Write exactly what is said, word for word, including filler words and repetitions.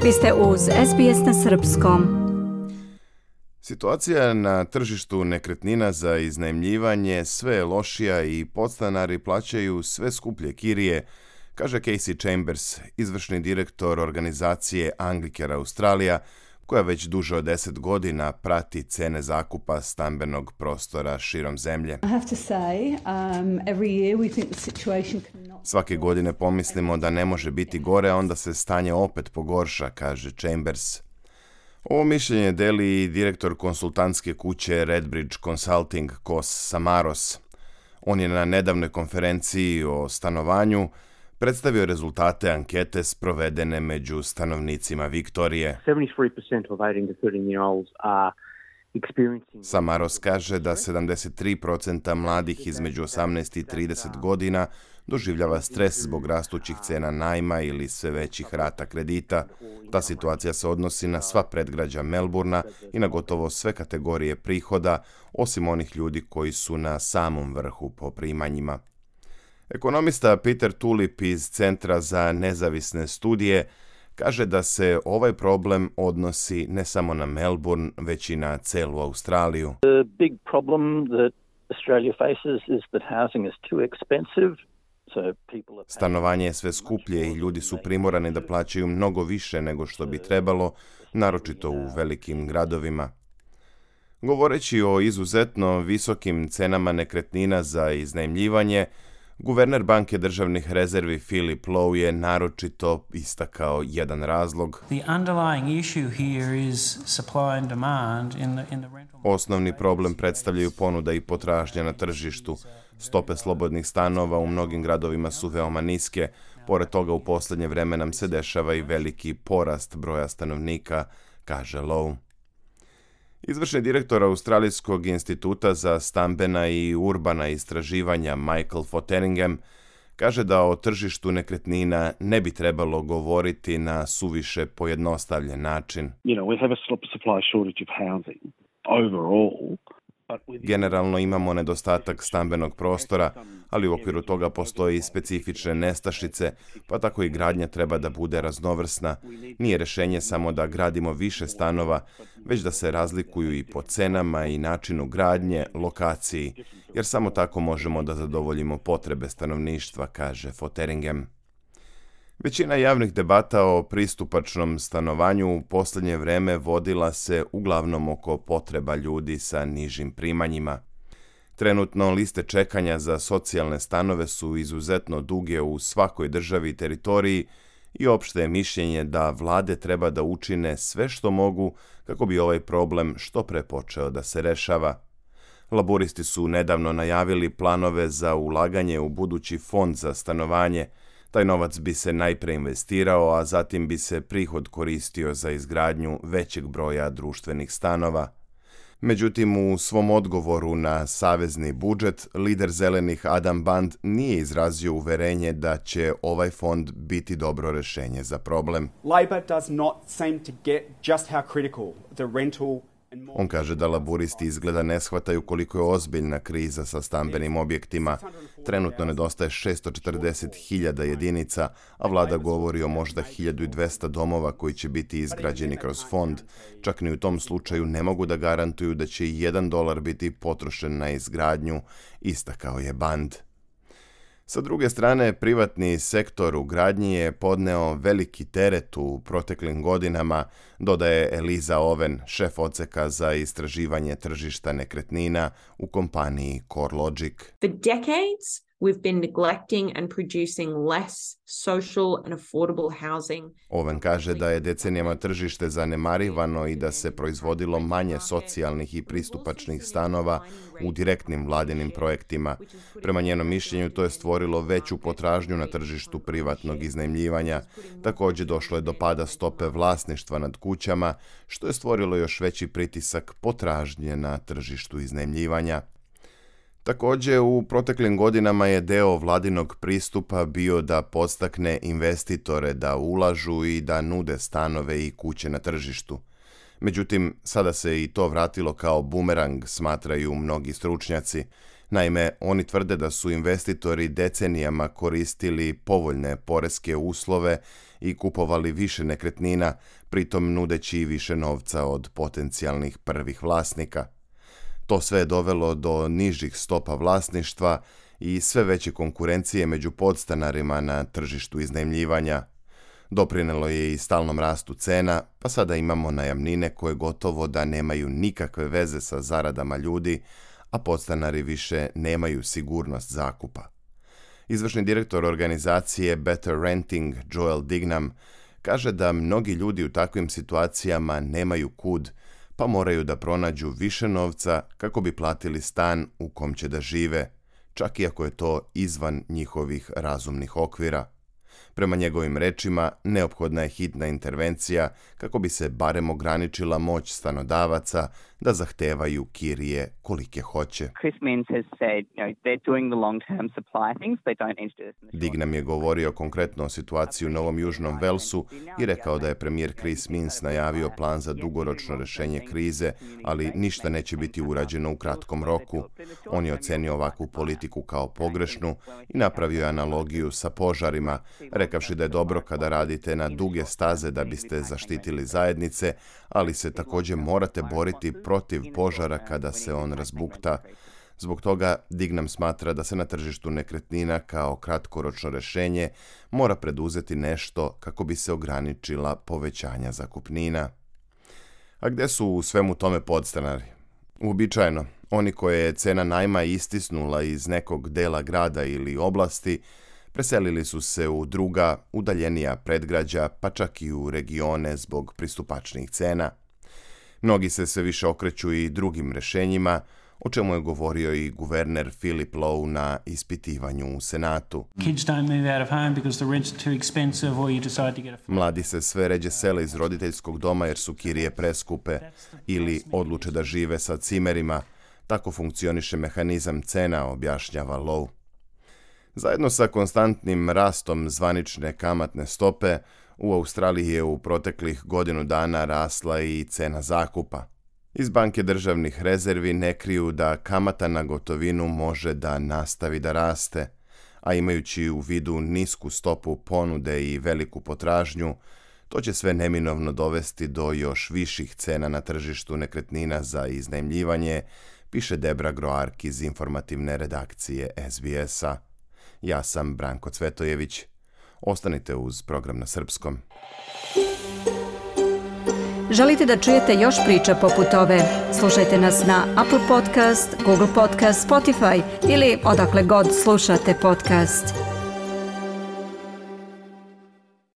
Vi ste uz S B S na srpskom. Situacija na tržištu nekretnina za iznajmljivanje sve je lošija i podstanari plaćaju sve skuplje kirije, kaže Casey Chambers, izvršni direktor organizacije Anglicare Australia, koja već duže od deset godina prati cene zakupa stambenog prostora širom zemlje. Svake godine pomislimo da ne može biti gore, a onda se stanje opet pogorša, kaže Chambers. Ovo mišljenje deli i direktor konsultantske kuće Redbridge Consulting Kos Samaros. On je na nedavnoj konferenciji o stanovanju predstavio rezultate ankete sprovedene među stanovnicima Viktorije. Samaros kaže da sedamdeset tri posto mladih između osamnaest i trideset godina doživljava stres zbog rastućih cena najma ili sve većih rata kredita. Ta situacija se odnosi na sva predgrađa Melbourna i na gotovo sve kategorije prihoda, osim onih ljudi koji su na samom vrhu po primanjima. Ekonomista Peter Tulip iz Centra za nezavisne studije kaže da se ovaj problem odnosi ne samo na Melbourne, već i na celu Australiju. The big problem that Australia faces is that housing is too expensive. Stanovanje je sve skuplje i ljudi su primorani da plaćaju mnogo više nego što bi trebalo, naročito u velikim gradovima. Govoreći o izuzetno visokim cenama nekretnina za iznajmljivanje, guverner Banke državnih rezervi Philip Lowe je naročito istakao jedan razlog. Osnovni problem predstavljaju ponuda i potražnja na tržištu. Stope slobodnih stanova u mnogim gradovima su veoma niske. Pored toga, u posljednje vreme nam se dešava i veliki porast broja stanovnika, kaže Lowe. Izvršni direktor Australijskog instituta za stambena i urbana istraživanja Michael Fotheringham kaže da o tržištu nekretnina ne bi trebalo govoriti na suviše pojednostavljen način. You know, we have a supply shortage of housing overall. Generalno imamo nedostatak stambenog prostora, ali u okviru toga postoji i specifične nestašice, pa tako i gradnja treba da bude raznovrsna. Nije rješenje samo da gradimo više stanova, već da se razlikuju i po cenama i načinu gradnje, lokaciji, jer samo tako možemo da zadovoljimo potrebe stanovništva, kaže Fotheringham. Većina javnih debata o pristupačnom stanovanju u posljednje vreme vodila se uglavnom oko potreba ljudi sa nižim primanjima. Trenutno liste čekanja za socijalne stanove su izuzetno duge u svakoj državi i teritoriji i opšte je mišljenje da vlade treba da učine sve što mogu kako bi ovaj problem što pre počeo da se rešava. Laburisti su nedavno najavili planove za ulaganje u budući fond za stanovanje. Taj novac bi se najpre investirao, a zatim bi se prihod koristio za izgradnju većeg broja društvenih stanova. Međutim, u svom odgovoru na savezni budžet, lider zelenih Adam Band nije izrazio uverenje da će ovaj fond biti dobro rešenje za problem. Labor does not seem to get just how critical the rental. On kaže da laburisti izgleda ne shvataju koliko je ozbiljna kriza sa stambenim objektima. Trenutno nedostaje šesto četrdeset hiljada jedinica, a vlada govori o možda hiljadu dvesta domova koji će biti izgrađeni kroz fond. Čak ni u tom slučaju ne mogu da garantuju da će i jedan dolar biti potrošen na izgradnju, istakao je Band. Sa druge strane, privatni sektor u gradnji je podneo veliki teret u proteklim godinama, dodaje Eliza Owen, šef odseka za istraživanje tržišta nekretnina u kompaniji CoreLogic. For decades, we've been neglecting and producing less social and affordable housing. Owen kaže da je decenijama tržište zanemarivano i da se proizvodilo manje socijalnih i pristupačnih stanova u direktnim vladinim projektima. Prema njenom mišljenju to je stvorilo veću potražnju na tržištu privatnog iznajmljivanja. Također došlo je do pada stope vlasništva nad kućama, što je stvorilo još veći pritisak potražnje na tržištu iznajmljivanja. Također, u proteklim godinama je deo vladinog pristupa bio da podstakne investitore da ulažu i da nude stanove i kuće na tržištu. Međutim, sada se i to vratilo kao bumerang, smatraju mnogi stručnjaci. Naime, oni tvrde da su investitori decenijama koristili povoljne poreske uslove i kupovali više nekretnina, pritom nudeći i više novca od potencijalnih prvih vlasnika. To sve je dovelo do nižih stopa vlasništva i sve veće konkurencije među podstanarima na tržištu iznajmljivanja. Doprinelo je i stalnom rastu cena, pa sada imamo najamnine koje gotovo da nemaju nikakve veze sa zaradama ljudi, a podstanari više nemaju sigurnost zakupa. Izvršni direktor organizacije Better Renting, Joel Dignam, kaže da mnogi ljudi u takvim situacijama nemaju kud, pa moraju da pronađu više novca kako bi platili stan u kom će da žive, čak i ako je to izvan njihovih razumnih okvira. Prema njegovim rečima, neophodna je hitna intervencija kako bi se barem ograničila moć stanodavaca da zahtevaju kirije kolike hoće. Dignam je govorio konkretno o situaciji u Novom Južnom Velsu i rekao da je premijer Chris Minns najavio plan za dugoročno rješenje krize, ali ništa neće biti urađeno u kratkom roku. On je ocenio ovakvu politiku kao pogrešnu i napravio analogiju sa požarima, rekavši da je dobro kada radite na duge staze da biste zaštitili zajednice, ali se također morate boriti protiv požara kada se on razbukta. Zbog toga Dignam smatra da se na tržištu nekretnina kao kratkoročno rješenje mora preduzeti nešto kako bi se ograničila povećanja zakupnina. A gdje su u svemu tome podstanari? Uobičajeno, oni koje je cena najma istisnula iz nekog dela grada ili oblasti, preselili su se u druga, udaljenija predgrađa, pa čak i u regione zbog pristupačnijih cena. Mnogi se sve više okreću i drugim rješenjima, o čemu je govorio i guverner Philip Lowe na ispitivanju u Senatu. Mladi se sve ređe sele iz roditeljskog doma jer su kirije preskupe ili odluče da žive sa cimerima. Tako funkcioniše mehanizam cena, objašnjava Lowe. Zajedno sa konstantnim rastom zvanične kamatne stope, u Australiji je u proteklih godinu dana rasla i cena zakupa. Iz banke državnih rezervi ne kriju da kamata na gotovinu može da nastavi da raste, a imajući u vidu nisku stopu ponude i veliku potražnju, to će sve neminovno dovesti do još viših cena na tržištu nekretnina za iznajmljivanje, piše Debra Groark iz informativne redakcije S B S-a. Ja sam Branko Cvetojević. Ostanite uz program na srpskom. Želite da čujete još priča poput ove? Slušajte nas na Apple Podcast, Google Podcast, Spotify ili odakle god slušate podcast.